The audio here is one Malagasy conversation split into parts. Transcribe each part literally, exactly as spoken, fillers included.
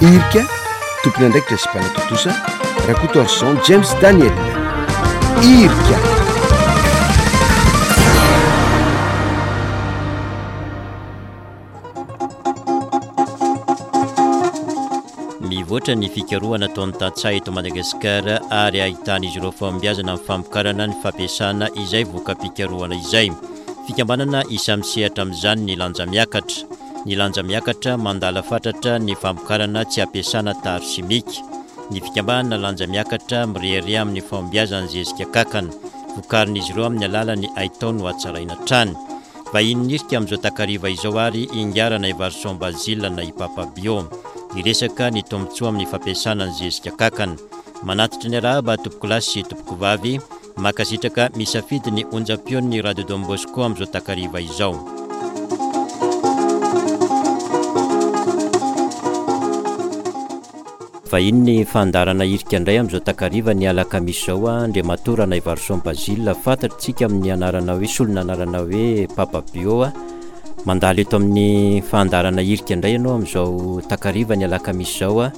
Irika, tompon'andraikitra sy mpanatontosa, Rakotoarison James Daniel. Irika. Mivoatra ny fikarohana ataon'ny tantsaha eto Madagasikara ary ahitan'izy ireo fahombiazana amin'ny famokarana ny fampiasana izay voka-pikarohana izay. Fikambanana isan'ny misehatra amin'izany ny lanja miakatra. Ny lanja miakatra mandala fatratra ny famokarana tsy ampiasana tary simika. Ny fikambanana lanja miakatra mirehareha amin'ny fahombiazan'ny zezika kankana. Vokarin'izy ireo amin'ny alalan'ny haitao no hatsaraina hatrany. Vahiny nirika amin'izao takariva izao ary Ingahy Ranaivarison Basile na i Papa Bio. Hiresaka ny tombontsoa amin'ny fampiasana ny zezika kankana. Manatitra ny arahaba tompokolahy sy tompokovavy. Mankasitraka misafidy ny onjam-peon'ny Radio Don Bosco amin'izao takariva izao. Vahiny ny fandaharana irika indray amin'izao takariva ny alakamisy izao, Andriamatoa Ranaivarison Basile, fantatsika amin'ny anarana hoe solon'anarana hoe Papa Bio. Mandalo eto amin'ny fandaharana irika indray ianao amin'izao takariva ny alakamisy izao.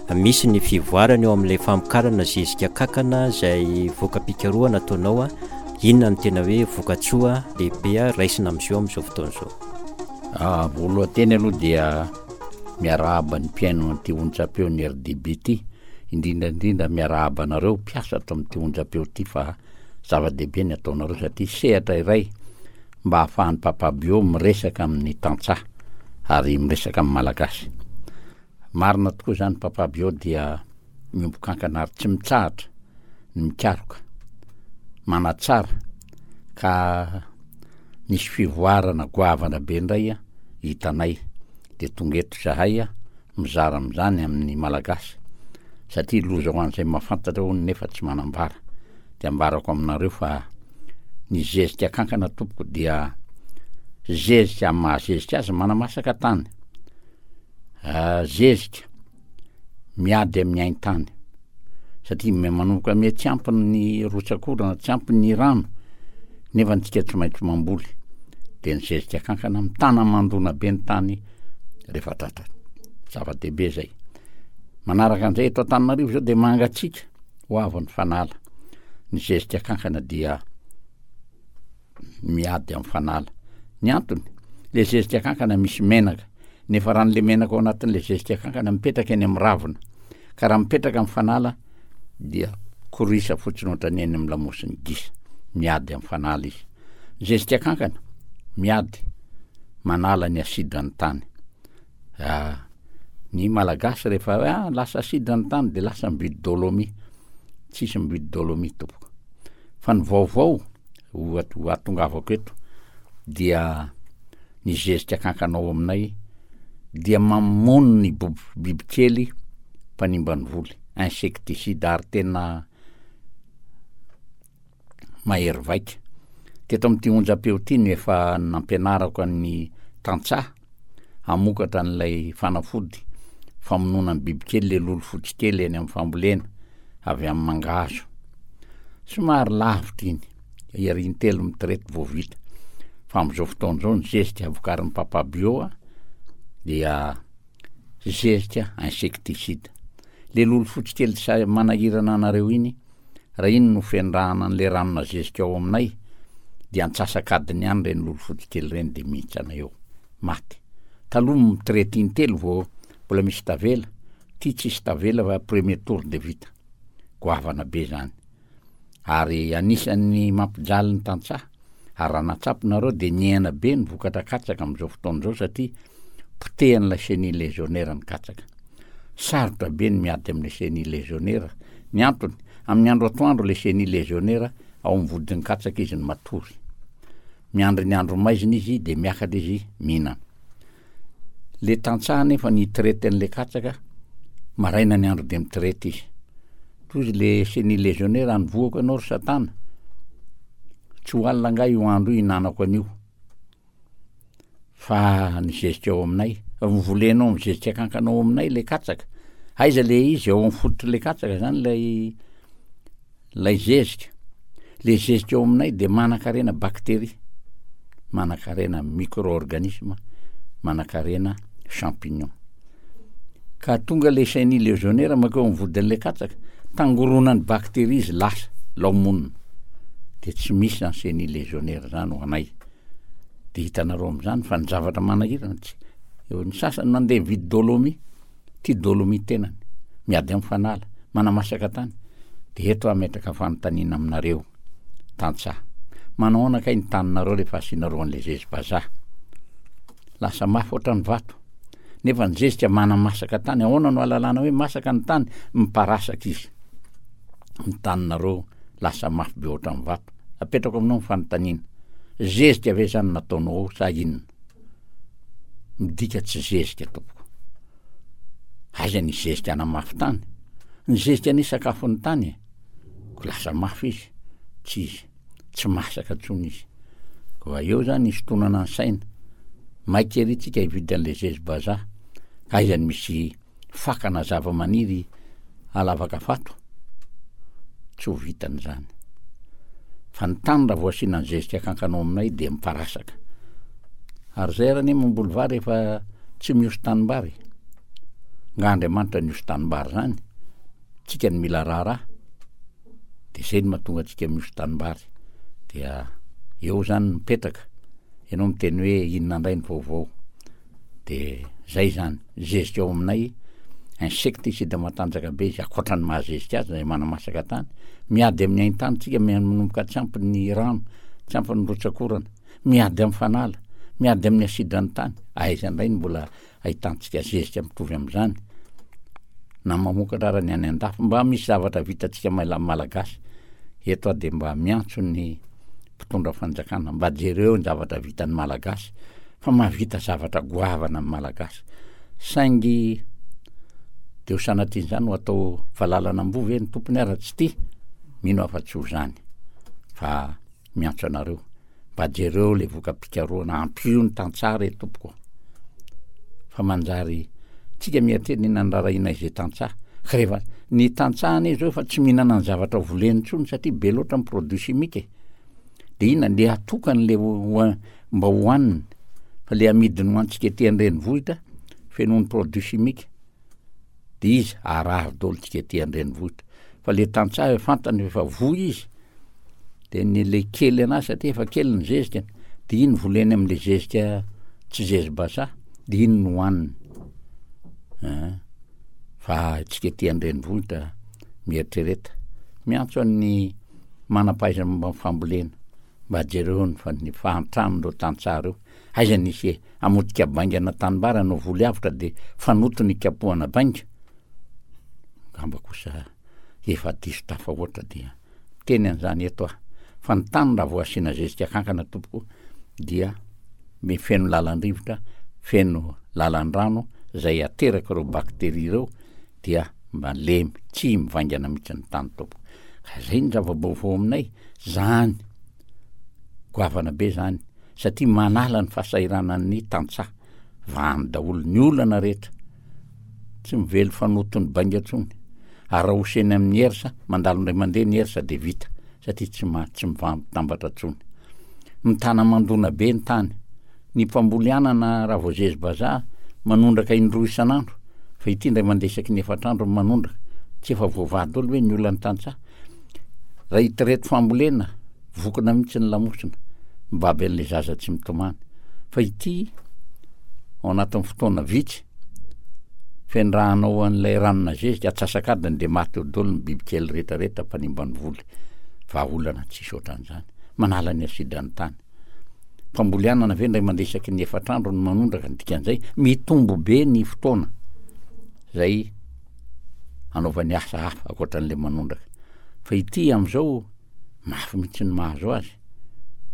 Misy ny fivoarana eo amin'ilay famokarana zezika kankana izay voka-pikarohana ataonao. Inona no tena hoe vokatsoa lehibe raisina amin'izao amin'izao fotoana izao? Ah, voalohany aloha dia miarahaba ny mpihaino an'ity onjam-peo ny R D B ity, indrindra indrindra miarahaba anareo mpiasa ato amin'ity onjam-peo ity fa zava-dehibe ny ataonareo satria sehatra iray mba ahafahan'ny Papa Bio miresaka amin'ny tantsaha ary miresaka amin'ny Malagasy. Marina tokoa izany, Papa Bio dia miombon-kankana ary tsy mitsahatra ny mikaroka, manatsara, ka nisy fivoarana goavana be indray hitanay dia tonga eto izahay mizara amin'izany amin'ny Malagasy satria loza ho an'izay mahafantatra hono nefa tsy manambara. Dia ambarako aminareo fa ny zezika kankana tompoko dia zezika amin'ny mahazezika azy manamasaka tany. Ah, zezika miady amin'ny haintany satria me-, manomboka miha tsy ampy ny rotsak'orana, tsy ampy ny rano, nefa antsika tsy maintsy mamboly, dia ny zezika kankana mitana mandona be ny tany rehefa tratra. Zava-dehibe zay. Manaraka an'izay eto Antananarivo zao dia mangatsiaka ho avy ny fanala. Ny zezika kankana dia miady amin'ny fanala. Ny antony, le zezika kankana misy menaka, nefa raha n'le menaka ao anatin'le zezika kankana mipetraka eny amin'ny ravina, ka raha mipetraka amin'ny fanala dia korisa fotsiny ohatran'ny eny amin'ny lamosin'ny gisa, miady amin'ny fanala izy. Ny zezika kankana miady manala ny asidra ny tany. Ah, ny Malagasy rehefa hoe, ah, lasa asidra ny tany dia lasa mividy dolomie. Tsisy mividy dolomie tompoko. Fa ny vaovao ho at-, ho atongavako eto dia ny zezika kankana ao aminay dia mamono ny bob-, bibikely mpanimba ny voly, insecticide, ary tena mahery vaika. Teto amin'ity onjam-peo ity no efa nampianarako an'ny tantsaha hamokatra an'ilay fanafody famonoana ny bibikely, le lolo fotsy kely eny amin'ny fambolena avy amin'ny mangahazo. Somary lavitra iny, ery intelo mitrety vao vita. Fa amin'izao fotoana izao ny zezika vokarin'ny Papa Bio a, dia zezika insecticide. Le lolo fotsy kely sa manahirana anareo iny, raha iny no fendrahana an'le ranona zezika ao aminay, dia antsasak'adiny ihany ireny lolo fotsy kely ireny dia mihintsana eo, maty. Taloha mitrety intelo vao mbola misy tavela, ty tsisy tavela fa premier tour dia vita. Goavana be zany. Ary anisan'ny mampijaly ny tantsaha, ary raha natsapy nareo dia nihena be ny vokatra katsaka amin'izao fotoana izao satria potehan'ilay chenille légionnaire ny katsaka. Sarotra be ny miady amin'ilay chenille légionnaire. Ny antony, amin'ny andro atoandro ilay chenille légionnaire ao amin'ny vodin'ny katsaka izy no matory. Miandry ny andro maizina izy dia miakatra izy mihinana. Le tantsaha nefa ny traite an'ilay katsaka, maraina ny andro dia mitraite izy. Toy izy le chenille légionnaire any voako ianao ry satana. Tsy ho alina angaha io andro io hihinanako an'io. Fa ny zezika ao aminay, volenao amin'ny zezika kankana ao aminay le katsaka. Aiza le izy? Ao amin'ny fototry le katsaka zany lay, lay zezika. Le zezika ao aminay dia manan-karena bakteria, manan-karena micro-organisme, manan-karena champignon. Ka tonga le chenille légionnaire mankeo amin'ny vodin'le katsaka, tangoronan'ny bakteria izy lasa, lao monina. De tsy misy zany chenille légionnaire zany ho anay. De hitanareo am'zany fa ny zavatra manahirana tsy, eo ny sasany mandeha mividy dolomie, ty dolomie tenany, miady amin'ny fanala, manamasaka tany. De eto aho ametraka fanontaniana aminareo tantsaha. Manao ahoana kay ny taninareo rehefa asianareo an'le zezi-bazaha? Lasa mafy ohatran'ny vato. Nefa ny zezika manamasaka tany. Ahoana no ahalalana hoe masaka ny tany? Miparasaka izy. Ny taninareo lasa mafy be ohatran'ny vato. Apetrako aminao ny fanontaniana. Zezika ve zany nataonao ao sa inona? Midika tsy zezika tompoko. Aiza ny zezika hanamafy tany? Ny zezika anie sakafon'ny tany e. Ko lasa mafy izy, tsy izy, tsy masaka intsony izy. Koa eo zany hisintonana ny saina. Maika ery tsika hividy an'le zezi-bazaha. Ka aiza ny misy fakana zava-maniry alavaka vato? Tsy ho vitany zany. Fa ny tany raha vao asiana ny zezika kankana ao aminay dia miparasaka. Ary zay ary anie mamboly vary efa tsy miosy tanimbary. Nga Andriamanitra niosy tanimbary zany? Tsika no mila raharaha. De zay no mahatonga antsika miosy tanimbary. Dia eo zany mipetraka. Ianao miteny hoe inona indray ny vaovao. De zay zany, zezika ao aminay, insecticide matanjaka be izy, ankoatra ny mahazezika azy zay manamasaka tany. Miady amin'ny haintany tsika, manomboka tsy ampy ny rano, tsy ampy ny rotsakorana, miady amin'ny fanala, miady amin'ny asidran'ny tany. Aiza indray no mbola ahitantsika zezika mitovy amin'izany? Na mamokatra ara ny any an-dafy, mba misy zavatra vitantsika Malagasy. Eto aho de mba miantso ny mpitondra fanjakana, mba jereo ny zavatra vitan'ny Malagasy, fa mahavita zavatra goavana ny Malagasy. Saingy de ho sanatrian'izany ho atao valalan'amboa ve ny tompony ara tsy tia? Mino aho fa tsy ho zany. Fa miantso anareo, mba jereo le voka-pikarohana, ampio ny tantsaha re tompoko. Fa manjary tsika mieritreritra inona ny rarahina izay tantsaha. Ka rehefa ny tantsaha anie zao efa tsy mihinana ny zavatra voleny intsony satria be loatra ny produit chimique e. De inona le atokany le ho mba hohaniny, fa le amidiny ho antsika ety an-drenivohitra feno ny produit chimique. De izy harary daholo tsika ety an-drenivohitra. Fa le tantsaha efa fantany efa voa izy, de ny le kely anazy satria efa kely ny zezika, de iny voleny am'le zezika tsy zezi-bazaha, de iny no hohaniny. Ein, fa tsika ety an-drenivohitra mieritrereta. Miantso an'ny manam-pahaizana momba ny fambolena, mba jereo ny fa ny fahantran'ireo tantsaha ireo. Aiza nisy e, hamotika baingana tanimbary hanao voly avotra de fanoto ny ikapohana bainga? Angamba kosa efa diso tafahoatra dia miteny an'izany eto aho. Fa ny tany raha vao asiana zezika kankana tompoko dia me feno lalan-drivotra, feno lalan-drano zay ateraka ireo bakteria ireo dia malemy, tsy mivaingana mihitsy ny tany tompoko. Ka zay ny zava-baovao aminay, zany goavana be zany, satria manala ny fahasahiranan'ny tantsaha, vahany daholo ny olana rehetra, tsy mively fanoto ny bainga intsony. Ary raha hoseny amin'ny hersa, mandalo indray mandeha ny hersa de vita, satria tsy ma-, tsy mivampitambatra intsony. Mitana mandona be ny tany. Ny mpamboly anana raha vao zezi-bazaha manondraka indroa isan'andro, fa ity indray mandeha isaky ny efatra andro no manondraka. Tsy efa voavaha daholo ve ny olan'ny tantsaha? Raha itireto fambolena, vokona mihitsy ny lamosina, mibaby an'ilay zaza tsy mitomany. Fa ity, ao anatin'ny fotoana vitsy, fendrahanao an'ilay ranona zezika, atsasak'adiny de maty eo daholo ny bibikely rehetrarehetra mpanimba ny voly. Vahaolana tsisy ohatran'izany. Manala ny asidran'ny tany. Mpamboly anana ve indray mandeha isaky ny efatra andro no manondraka, ny dikan'izay mitombo be ny fotoana zay anaovany asa hafa ankoatran'le manondraka. Fa ity am'izao mafy mihitsy ny mahazo azy,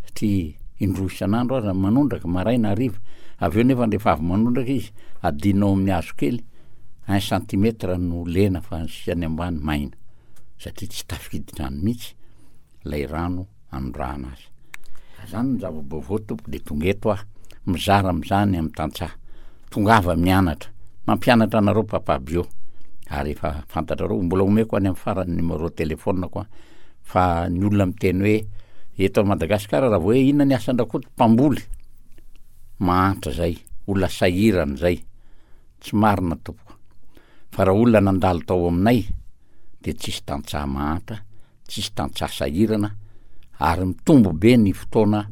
satria indroa isan'andro aza manondraka, maraina hariva. Avy eo nefa rehefa avy manondraka izy, adinao amin'ny hazo kely, un centimètre no lena fa ny sisany ambany maina, satria tsy tafiditra any mihitsy ilay rano anondrahana azy. Zany ny zava-baovao tompoko, de tonga eto aho mizara am'izany amin'ny tantsaha. Tongava mianatra, mampianatra anareo Papa Bio, ary efa fantatrareo, mbola omeko any amin'ny farany numéro téléphone-ko a, fa ny olona miteny hoe eto Madagasikara raha vao hoe inona ny asan-dRakoto, mpamboly, mahantra zay, olona sahirana zay. Tsy marina tompoko. Fa raha olona nandalo tao aminay dia tsisy tantsaha mahantra, tsisy tantsaha sahirana ary mitombo be ny fotoana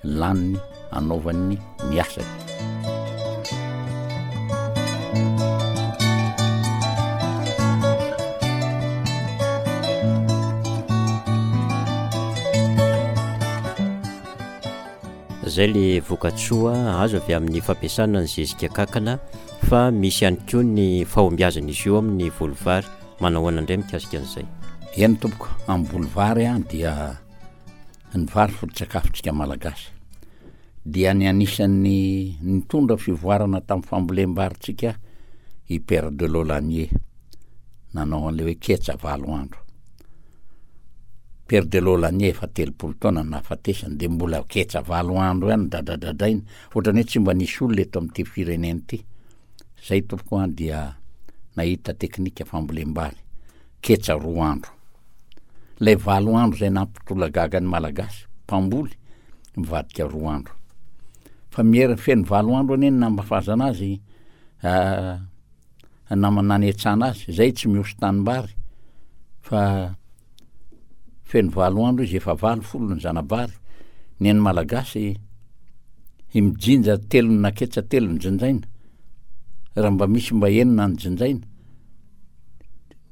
laniny anaovany ny asany. Zay le vokatsoa azo avy amin'ny fampiasana ny zezika kankana, fa misy ihany koa ny fahombiazan'izy io amin'ny voly vary. Manao ahoana indray mikasika an'izay? Eny tompoko, amin'ny voly vary an dia ny vary foto-tsakafontsika malagasy. Dia ny anisan'ny nitondra fivoarana tamin'ny fambolem-barintsika i Père de Laulanié, nanao an'ilay hoe ketsa valo andro. Père de Laulanié efa telopolo taona no nahafatesany dia mbola ketsa valo andro ihany dradradradraina, ohatran'ny hoe tsy mba nisy olona eto amin'ity firenena ity. Zay tompoko an dia nahita teknika fambolem-bary, ketsa roa andro. Ilay valo andro izay nampitolagaga ny Malagasy mpamboly mivadika roa andro. Fa miera feno valo andro anie ny namafazana azy, ah, nama nanetsana azy, zay tsy mihoso tanimbary fa feno valo andro izy, efa valo folo ny zanabary. Ny an'ny Malagasy mijinja telo na ketsa telo ny jinjaina, raha mba misy mba enina ny jinjaina,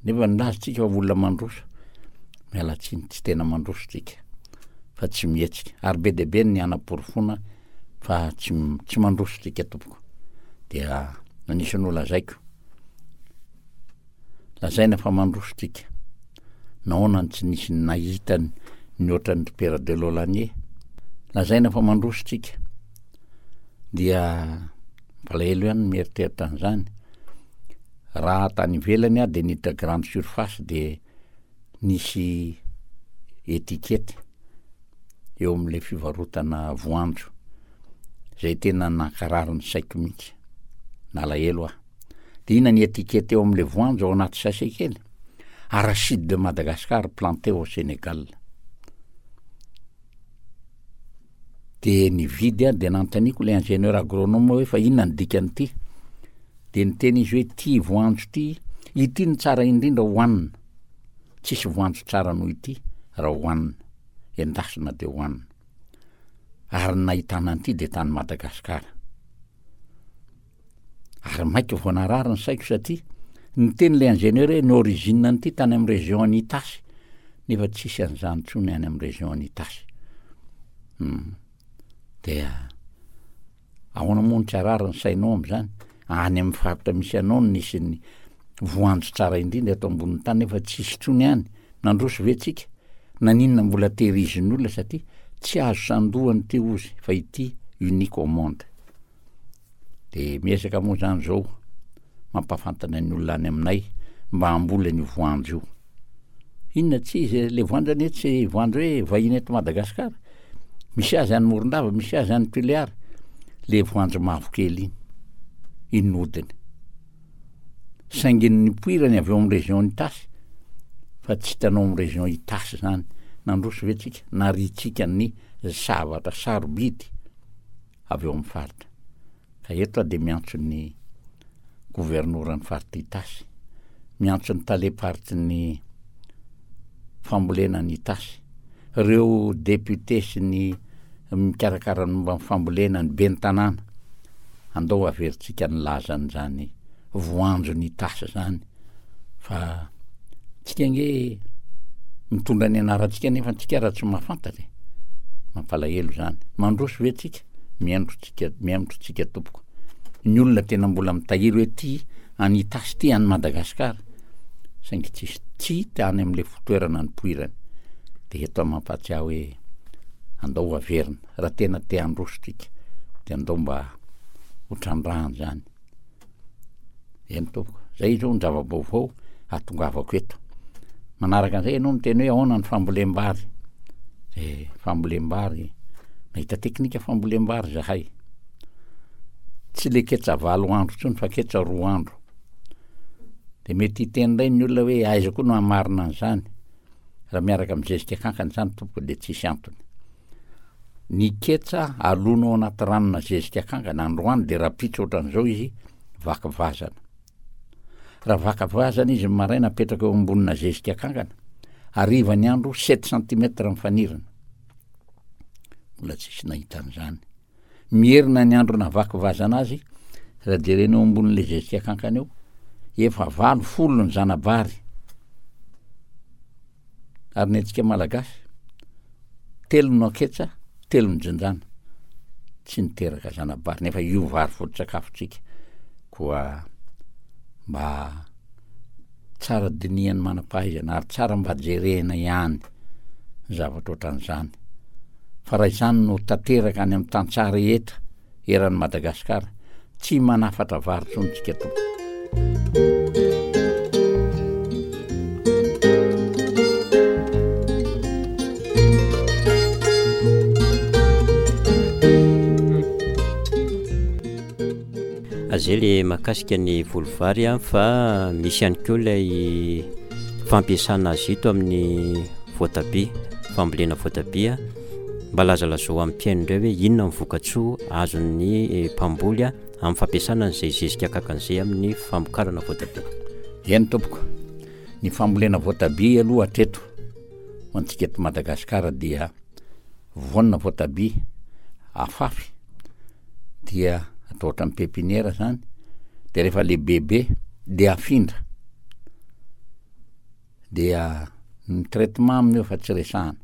nefa nilaza tsika fa olona mandroso. Miala tsiny, tsy tena mandroso tsika fa tsy mihetsika, ary be dia be ny hanaporofoana fa tsy, tsy mandroso tsika tompoko. Dia anisan'ny ho lazaiko, lazaina fa mandroso tsika. Nahoana no tsy nisy nahita ny ohatran'ny ry Père de Laulanié? Lazaina fa mandroso tsika. Dia mampalahelo ihany ny mieritreritra an'izany. Raha tany ivelany aho dia niditra grande surface dia nisy étiquette eo amin'ilay fivarotana voanjo, izay tena nankarary ny saiko mihitsy, nalahelo aho. Dia inona ny étiquette eo amin'ilay voanjo ao anaty sachet kely? Arachide de Madagascar planté au Sénégal. Dia nividy aho, dia nanontaniako ilay ingénieur agronome hoe fa inona ny dikan'ity? Dia niteny izy hoe ity voanjo ity, ity no tsara indrindra hohanina. Tsisy voanjo tsara noho ity raha hohanina, endasina dia hohanina. Ary ny nahitana an'ity dia tany Madagasikara. Ary maika vao narary ny saiko satria niteny ilay ingénieur hoe ny origine an'ity tany amin'ny région an'i Itasy, nefa tsisy an'izany intsony any amin'ny région an'i Itasy. Hmm. Dia ahoana moa no tsy harary ny sainao amin'izany? Any amin'ny faritra misy anao no nisy ny voanjo tsara indrindra eto ambonin'ny tany, nefa tsisy intsony any. Nandroso ve tsika? Naninona mbola tehirizin'ny olona? Satria tsy azo sandohana ity ozy fa ity unique au monde. De miezaka moa zany zao mampahafantatra ny olona any aminay mba hamboly an'io voanjo io. Inona tsy izy e, le voanjo anie tsy voanjo hoe vahiny eto Madagasikara. Misy azy any Morondava, misy azy any Tuléar. Le voanjo mavokely iny, iny no hodiny. Saingy ny nipoirany avy eo amin'ny région Itasy, fa tsy hitanao amin'ny région Itasy zany. Nandroso ve tsika? Nariantsika ny zavatra sarobidy avy eo amin'ny faritra. Ka eto aho dia miantso ny governoran'ny faritra Itasy, miantso ny talem-paritry ny fambolena any Itasy, ireo député sy ny mikarakara ny momba ny fambolena, ny ben'ny tanàna, andao averintsika ny lazan'izany voanjon'ny Itasy izany, fa tsika ange mitondra ny anarantsika nefa tsika raha tsy mahafantatra e. Mampalahelo izany. Mandroso ve tsika? Mihaino tsika, mihaino tsika tompoko. Ny olona tena mbola mitahiry hoe ty any Itasy ty any Madagasikara, saingy tsisy tsy hita any amin'ilay fitoerana nipoirany. De eto aho mampahatsiahy hoe andao averina, raha tena te handroso tsika de andao mba ho trandrahana izany. Eny tompoko, zay izao ny zava-baovao ahatongavako eto. Manaraka an'izay ianao miteny hoe ahoana ny fambolem-bary. Eh, fambolem-bary, nahita teknika fambolem-bary zahay. Tsy le ketsa valo andro intsony fa ketsa roa andro. De mety hiteny indray ny olona hoe aiza koa no hamarina an'izany. Raha miaraka amin'ny zezika kankana izany tompoko de tsisy antony. Ny ketsa alona ao anaty ranona zezika kankana androany de rahampitso ohatran'izao izy vaky vazana. Raha vaka vazana izy maraina, apetraka eo ambonina zezika kankana, hariva ny andro sept centimètres mifanirina. Mbola tsisy nahita an'izany. Mierina ny andro navaky vazana azy, raha jerena eo ambonin'le zezika kankana eo, efa valo folo ny zanabary. Ary ny antsika Malagasy, telo no aketsa, telo ny jinjana. Tsy niteraka zanabary, nefa io vary foto-tsakafontsika. Koa mba tsara dinihan'ny manam-pahaizana ary tsara mba jerena ihany ny zavatra ohatran'izany. Fa raha izany no tanteraka any amin'ny tantsaha rehetra eran'i Madagasikara, tsy manafatra vary intsony tsika tompoko. Zay le mahakasika ny voly vary a, fa misy ihany koa ilay fampiasana azy ito amin'ny voatabia, fambolena voatabia. Mba lazalazao amin'ny mpihaino indray hoe inona ny vokatsoa azon'ny mpamboly a amin'ny fampiasana an'izay zezika kakan'izay amin'ny famokarana voatabia. Eny tompoko, ny fambolena voatabia aloha hatreto ho antsika eto Madagasikara dia voanina voatabia afafy dia atao ohatran'ny pépinière zany, de rehefa lehibebe de afindra, dia ny traitement amin'io efa tsy resahana,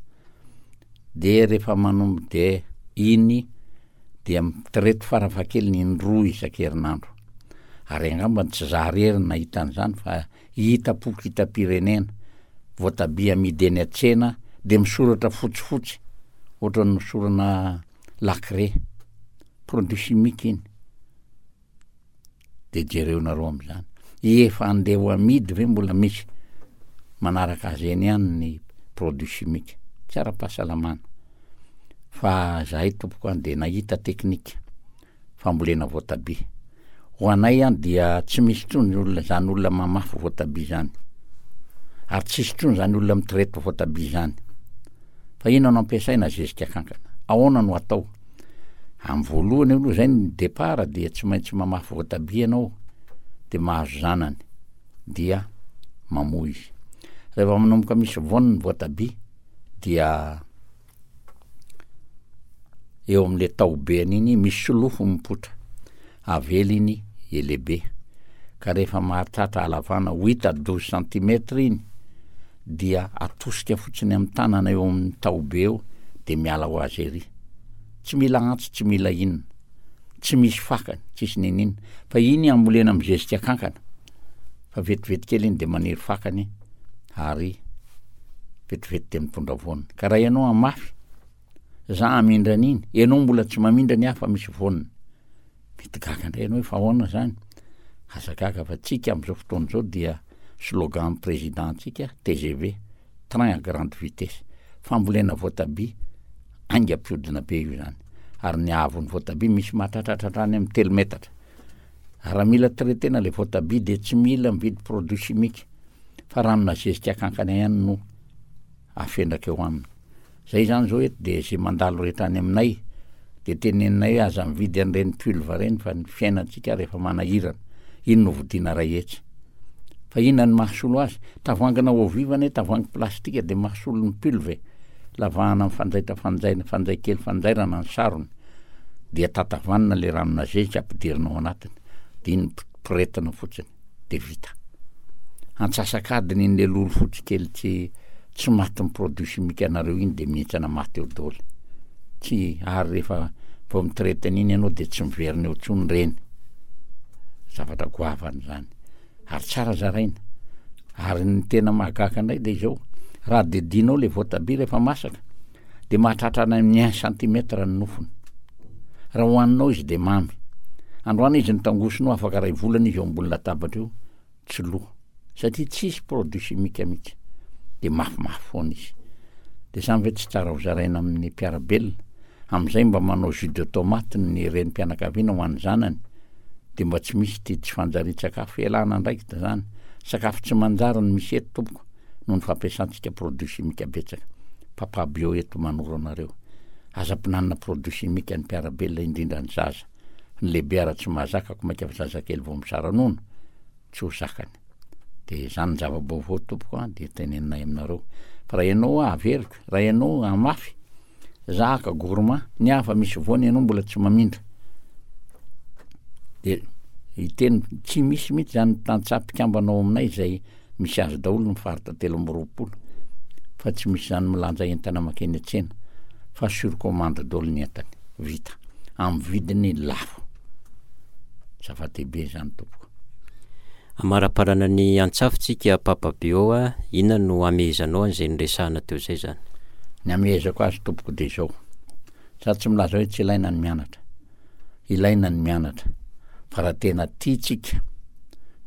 de rehefa manombo de iny dia mitraite farafahakeliny indroa isan-kerinandro. Ary angamba tsy za rery no nahita an'izany fa hita-poko hita-pirenena, voatabia amidy eny an-tsena de misoratra fotsifotsy ohatran'ny nosorana lacré, produit chimique iny. De jereonareo am'izany. Efa andeha ho amidy ve mbola misy manaraka azy eny ihany ny produit chimique, tsy ara-pahasalamana. Fa zahay tompoko any de nahita teknika fambolena voatabia. Ho anay any dia tsy misy intsony olona zany olona mamafy voatabia zany. Ary tsisy intsony zany olona mitraite voatabia zany. Fa inona no ampiasaina? Zezika kankana. Ahoana no atao? Amin'ny voalohany aloha zay ny départ dia tsy maintsy mamafy voatabia ianao, de mahazo zanany, dia mamoa izy. Rehefa manomboka misy voany ny voatabia dia eo amin'le taobeany iny misy solofo mipoitra, avela iny elehibe. Ka rehefa mahatratra halavana huit à douze centimètres iny dia atosika fotsiny amin'ny tanana eo amin'ny taobe eo de miala ho azy ery. Tsy mila antsy, tsy mila inona, tsy misy fakany, tsisy ninina. Fa iny ambolena amin'ny zezika kankana. Fa vetivety kely iny de maniry fakany ary vetivety de mitondra voany. Ka raha ianao hamafy, za hamindra an'iny, ianao mbola tsy mamindra ny hafa misy voany. Mety gaga indray ianao hoe fa ahoana zany? Aza gaga fa tsika amin'izao fotoana izao dia slogan président antsika T G V, train à grande vitesse. Fambolena voatabia haingam-piodina be io zany. Ary ny haavon'ny voatabia misy mahatratratra hatrany amin'ny telo metatra. Ary raha mila traitena le voatabia dia tsy mila mividy produit chimique fa ranona zezika kankana ihany no afendraka eo aminy. Zay zany zao eto dia zay mandalo rehetra any aminay de teneninay hoe aza mividy an'ireny pulve ireny fa ny fiainantsika rehefa manahirana. Iny no vidiana ray hetsy. Fa inona no mahasolo azy? Tavoahangina eau vive anie, tavoahangy plastika de mahasolo ny pulve. Lavahana amin'ny fanjaitra fanjaina, fanjay kely fanjairana ny sarony. Dia tatavanina le ranona zezika ampidirina ao anatiny. De iny poretina fotsiny, de vita. Antsasak'adiny iny le lolo fotsy kely tsy, tsy maty ny produit chimique anareo iny de mihintsana maty eo daholo. Tsy, ary rehefa vao mitraite an'iny ianao de tsy miverina eo intsony reny. Zavatra goavana zany. Ary tsara zaraina. Ary ny tena mahagaga indray de izao, raha didinao le voatabia rehefa masaka, de mahatratra any amin'ny un centimètre ny nofony. Raha hohaninao izy de mamy. Androany izy nitangosinao afaka ray volana izy eo ambony latabatra eo, tsy loha. Satria tsisy produit chimique mihitsy. De mafimafy foana izy. De zany ve tsy tsara ho zaraina amin'ny mpiara-belona? Amin'izay mba manao jus de tomate ny renim-pianakaviana ho an'ny zanany. De mba tsy misy ty tsy fanjarian-tsakafo ialana andraikitra zany. Sakafo tsy manjary no misy eto tompoko noho ny fampiasantsika produit chimique betsaka. Papa bio eto manoro anareo. Aza ampinanina produit chimique ny mpiara-belona indrindra ny zaza. Ny lehibe ara tsy mahazaka ko mainka fa zazakely vao misara nono, tsy ho zakany. De zany ny zava-baovao tompoko a, de teneninay aminareo. Fa raha ianao averiko, raha ianao hamafy, zaka gourmand, ny hafa misy voany ianao mbola tsy mamindra. De hiteny tsy misy mihitsy zany tantsaha mpikambana ao aminay zay misy azy daholo ny faritra telo amby roapolo, fa tsy misy zany milanja entana mankeny an-tsena fa sur commande daholo ny entany, vita amin'ny vidiny lafo. Zava-dehibe zany tompoko. Amaraparana ny antsafotsika Papa Bio a, inona no amehezanao an'izay niresahana teo izay zany? Ny amehezako azy tompoko de zao, za tsy milaza hoe tsy ilaina ny mianatra, ilaina ny mianatra, fa raha tena tiantsika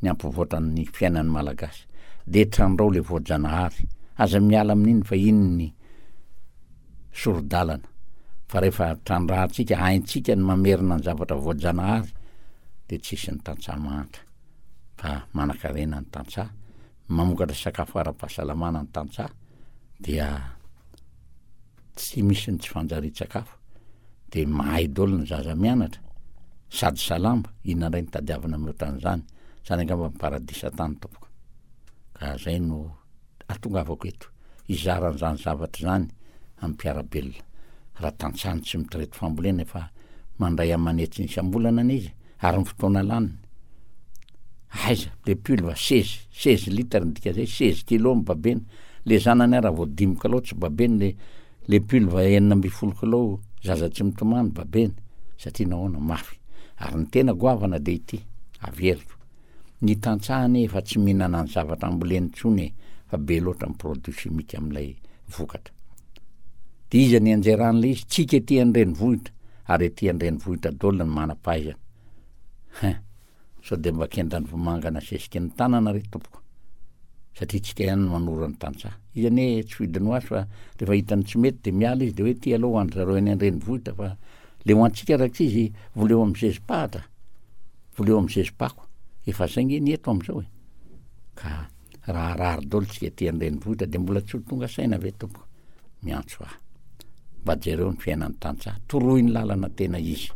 ny hampivoatra ny fiainan'ny Malagasy de trandrao le voajanahary, aza miala amin'iny fa iny ny sori-dalana, fa rehefa trandrahantsika, haintsika ny mamerina ny zavatra voajanahary de tsisy ny tantsaha mahantra, fa manan-karena ny tantsaha, mamokatra sakafo ara-pahasalamana ny tantsaha, dia tsy misy ny tsy fanjarian-tsakafo, de mahay daholo ny zaza mianatra, sady salama, inona indray ny tadiavina mihoatra an'izany, zany angamba ny paradisa tany tompoko. Ka zay no atongavako eto, hizara an'izany zavatra izany amin'ny mpiara-belona. Raha tantsaha no tsy mitraity fambolena efa mandray aman'hetsiny isam-bolana anie izy, ary ny fotoana laniny. Aiza, le pulve seize, seize litre ny dika zay, seize kilo ny babena. Le zanany ara vao dimy kilao tsy babeny, le, le pulve enina ambin'ny folo kilao zaza tsy mitomany babeny, satria nahoana mafy. Ary ny tena goavana de ity, averiko. Ny tantsaha anie efa tsy mihinana ny zavatra amboleny intsony e, fa be loatra ny produit chimique amin'ilay vokatra. De iza ny anjeran'ilay izy? Tsika ety an-drenivohitra, ary ety an-drenivohitra daholo ny manam-pahaizana. Hein, sao de mba kendan'ny vomanga nasesiky ny tanana re tompoko, satria tsika ihany no manoro ny tantsaha. Izy anie tsy fidiny ho azy fa rehefa hitany tsy mety de miala izy de hoe ty aloha ho an-dry zareo any an-drenivohitra, fa le ho antsika raha tsy izy voleo amin'ny zezi-pahatra, voleo amin'ny zezi-pako, efa zay nge ny eto am'izao e. Ka raha harary daholo tsika ety an-drenivohitra de mbola tsy ho tonga saina ve tompoko? Miantso ahy. Mba jereo ny fiainan'ny tantsaha, toroy ny lalana tena izy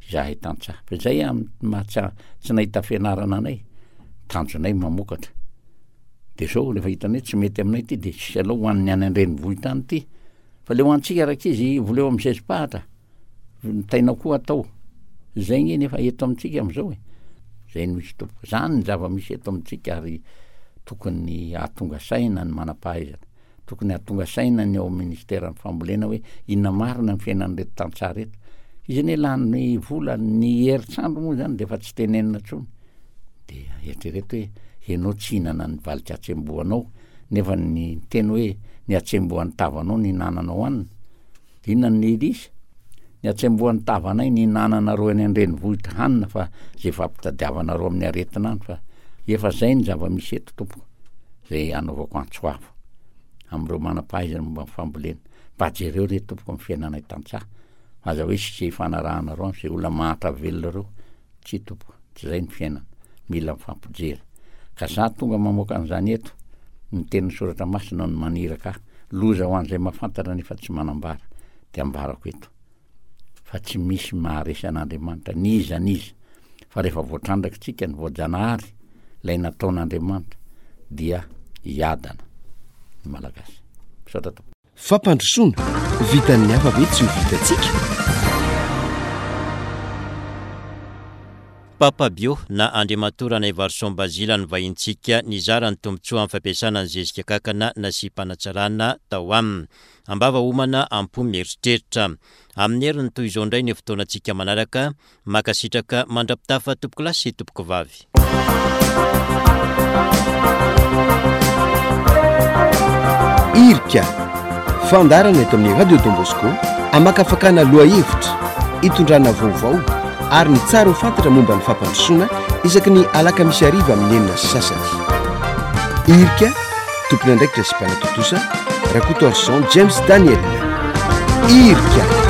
izahay tantsaha. Fa izay amin'ny maha tsy, tsy nahita fianarana anay, tanjonay mamokatra. De zao rehefa hitanay tsy mety aminay ity de tsisy alao ho an'ny any an-drenivohitra any ity. Fa le ho antsika rankizy voleo amin'ny zezi-pahatra, ny tainao koa atao. Zay nge nefa eto amintsika am'izao e. Zay no misy tompoko. Zany ny zava-misy eto amintsika ary tokony hahatonga saina ny manam-pahaizana. Tokony hahatonga saina ny ao amin'ny ministeran'ny fambolena hoe inona marina ny fiainan'ireto tantsaha reto. Izy anie lany vola, ny herintsandro moa zany de efa tsy tenenina intsony. De eritrereto hoe ianao tsy hihinana ny valin-katsembohanao, nefa ny teny hoe ny hatsembohan'ny tavanao no hihinananao hanina. De inona no izy? Ny hatsembohan'ny tavanay no hihinananareo any an-drenivohitra hanina fa zay fampitadiavanareo amin'ny aretina any, fa efa zay ny zava-misy eto tompoko, zay anaovako antso avo amin'ireo manam-pahaizana momba ny fambolena. Mba jereo re tompoko ny fiainanay tantsaha, aza hoe sy zay ifanarahanareo any, zay olona mahantra velona ireo. Tsia tompoko, tsy zay ny fiainana, mila mifampijery. Ka za tonga mamoaka an'izany eto, ny tenin'ny soratra masina no maniraka ahy, loza ho an'izay mahafantatra nefa tsy manambara, de ambarako eto fa tsy misy maharesy an'Andriamanitra n'iza n'iza, fa rehefa voatrandraka tsika ny voajanahary, ilay nataon'Andriamanitra, dia hiadana ny Malagasy. Misaotra tompoko. Fampandrosoana, vitan'ny hafa ve tsy ho vitantsika? Papa Bio na Andriamatoa Ranaivarison Bazila no vahintsika nizara ny tombontsoa amin'ny fampiasana ny zezika kankana nasiam-panatsarana tao aminy. Ambava homana, am-po mieritreritra. Amin'ny heriny toy izao indray ny fotoanantsika manaraka. Mankasitraka mandra-pitafa tompokolahy sy tompokovavy. Irika, fandaharana eto amin'ny Radio Don Bosco hamakafakana lohahevitra, hitondrana vaovao ary ny tsara ho fantatra momba ny fampandrosoana isaky ny alakamisy hariva amin'ny enina sy sasany. Irika, tompon'andraikitra sy mpanatontosa, Rakotoarison James Daniel. Irika.